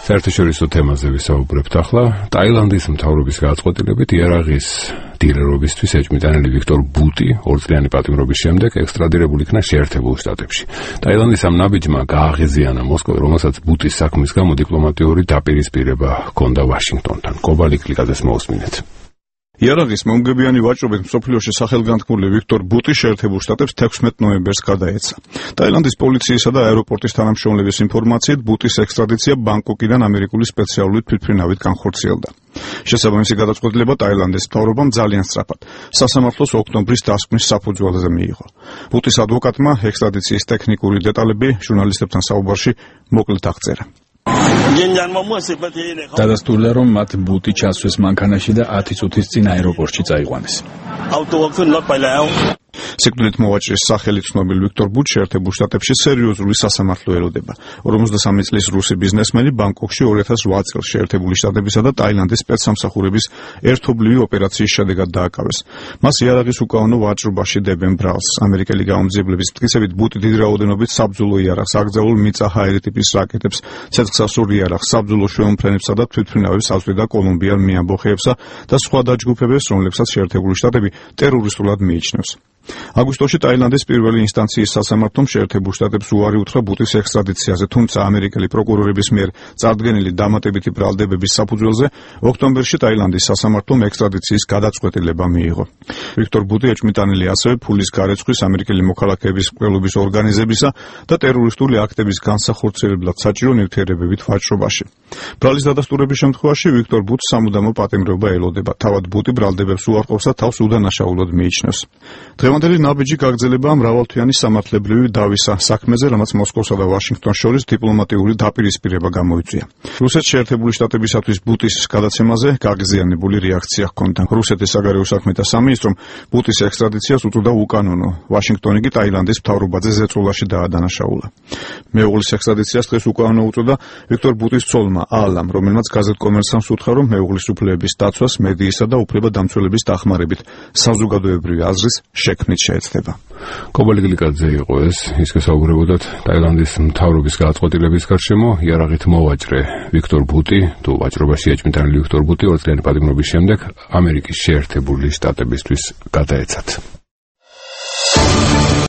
საერთაშორისო თემაზე ვისაუბრებთ ახლა. ტაილანდის მთავრობის გადაწყვეტილებით იარაღის დილერობისთვის ეჭვმიტანილი ვიქტორ ბუტი 2 წლიანი პატიმრობის შემდეგ ექსტრადირებული იქნა შეერთებულ შტატებში. ტაილანდის ამ ნაბიჯმა გააღიზიანა მოსკოვი, რომელსაც ბუტის საქმის გამო დიპლომატიური დაპირისპირება ჰქონდა ვაშინგტონთან. კობალი კლიკაძეს მოусმინეთ. იარაღის მომგებიანი ვაჭრობით მსოფლიოში სახელგანთქმული ვიქტორ ბუტი შეერთებულ შტატებს 16 ნოემბერს გადაეცა. ტაილანდის პოლიციისა და აეროპორტის თანამშრომლების ინფორმაციით ბუტის ექსტრადიცია ბანგკოკიდან ამერიკული სპეციალური თვითმფრინავით განხორციელდა. შესაბამისი გადაწყვეტილება ტაილანდის მთავრობამ ძალიან სწრაფად სასამართლოს ოქტომბრის დასკვნის საფუძველზე მიიღო. ბუტის ადვოკატმა ექსტრადიციის ტექნიკური დეტალები ჟურნალისტებთან საუბარში მოკლედ აღწერა. დადასტურდა, რომ მათ ბუტი ჩასვეს მანქანაში და 10 წუთის წინ აეროპორტში წაიყვანეს. სიკვდილით მოვაჭრის სახელი ცნობილ ვიქტორ ბუტს შეერთებულ შტატებში სერიოზული სასამართლო ელოდება. 53 წლის რუსი ბიზნესმენი ბანგკოკში 2008 წელს შეერთებული შტატებისა და ტაილანდის სპეცსამსახურების ერთობლივი ოპერაციის შედეგად დააკავეს. მას იარაღის უკანონო ვაჭრობაში დებენ ბრალს. ამერიკელი გამომძიებლების მტკიცებით ბუტი დიდი რაოდენობით საბრძოლო იარაღს, აკრძალულ მიწა-ჰაერი ტიპის რაკეტებს, ცეცხლსასროლ იარაღს, საბრძოლო შვეულმფრენებსა და თვითმფრინავებს აწვდიდა კოლუმბიელ მიამბოხეებსა და სხვა დაჯგუფებებს, რომლებსაც შეერთებული შტატები ტერორისტულად მიიჩნევს. აგვისტოში ტაილანდის პირველი ინსტანციის სასამართლომ შეერთებულ შტატებს უარი უთხრა ბუტის ექსტრადიციაზე, თუმცა ამერიკელი პროკურორების მიერ წარდგენილი დამატებითი ბრალდებების საფუძველზე ოქტომბერში ტაილანდის სასამართლომ ექსტრადიციის გადაწყვეტილება მიიღო. ვიქტორ ბუტი ეჭვმიტანილი ასევე ფულის გარეცხვის, ამერიკელი მოქალაქეების მკვლელობის ორგანიზებისა და ტერორისტული აქტების განსახორციელებლად საჭირო ნივთიერებებით ვაჭრობაში. ბრალის დადასტურების შემთხვევაში ვიქტორ ბუტს სამუდამო პატიმრობა ელოდება. თავად ბუტი ბრალდებებს უარყოფს და თავს უდანაშაულოდ მიიჩნევს. დღევანდელი ნაბიჯი გაგრძელება მრავალთვიანი სამართლებრივი დავისა საქმეზე, რამაც მოსკოვსა და ვაშინგტონს შორის დიპლომატიური დაპირისპირება გამოიწვია. რუსეთს შეერთებული შტატებისათვის ბუტის გადაცემაზე გაღიზიანებული რეაქცია ჰქონდა. რუსეთის საგარეო საქმეთა სამინისტრომ ბუტის ექსტრადიციას უწოდა უკანონო. ვაშინგტონი კი ტაილანდის მთავრობაზე ზეწოლაში დაადანაშაულა. მეუღლის ექსტრადიციას დღეს უკანონო უწოდა ვიქტორ ბუტის ცოლმა ალამ, რომელმაც გაზეთ კომერსანტს უთხრა, რომ მეუღლის უფლებების დაცვას მედიისა და უფლებადამცველების დახმარებით საზოგადოებრივი აზრის შექმნით შეეცდება. კობალი კლიკაძე იყო ეს, ის გესაუბრებოდათ ტაილანდის მთავრობის გადაწყვეტილების გარშემო. იარაღით მოვაჭრე ვიქტორ ბუტი, თუ ვაჭრობაში ეჭვმიტანილი ვიქტორ ბუტი 2 წლიანი პატიმრობის შემდეგ ამერიკის შეერთებული შტატებისთვის გადაეცათ.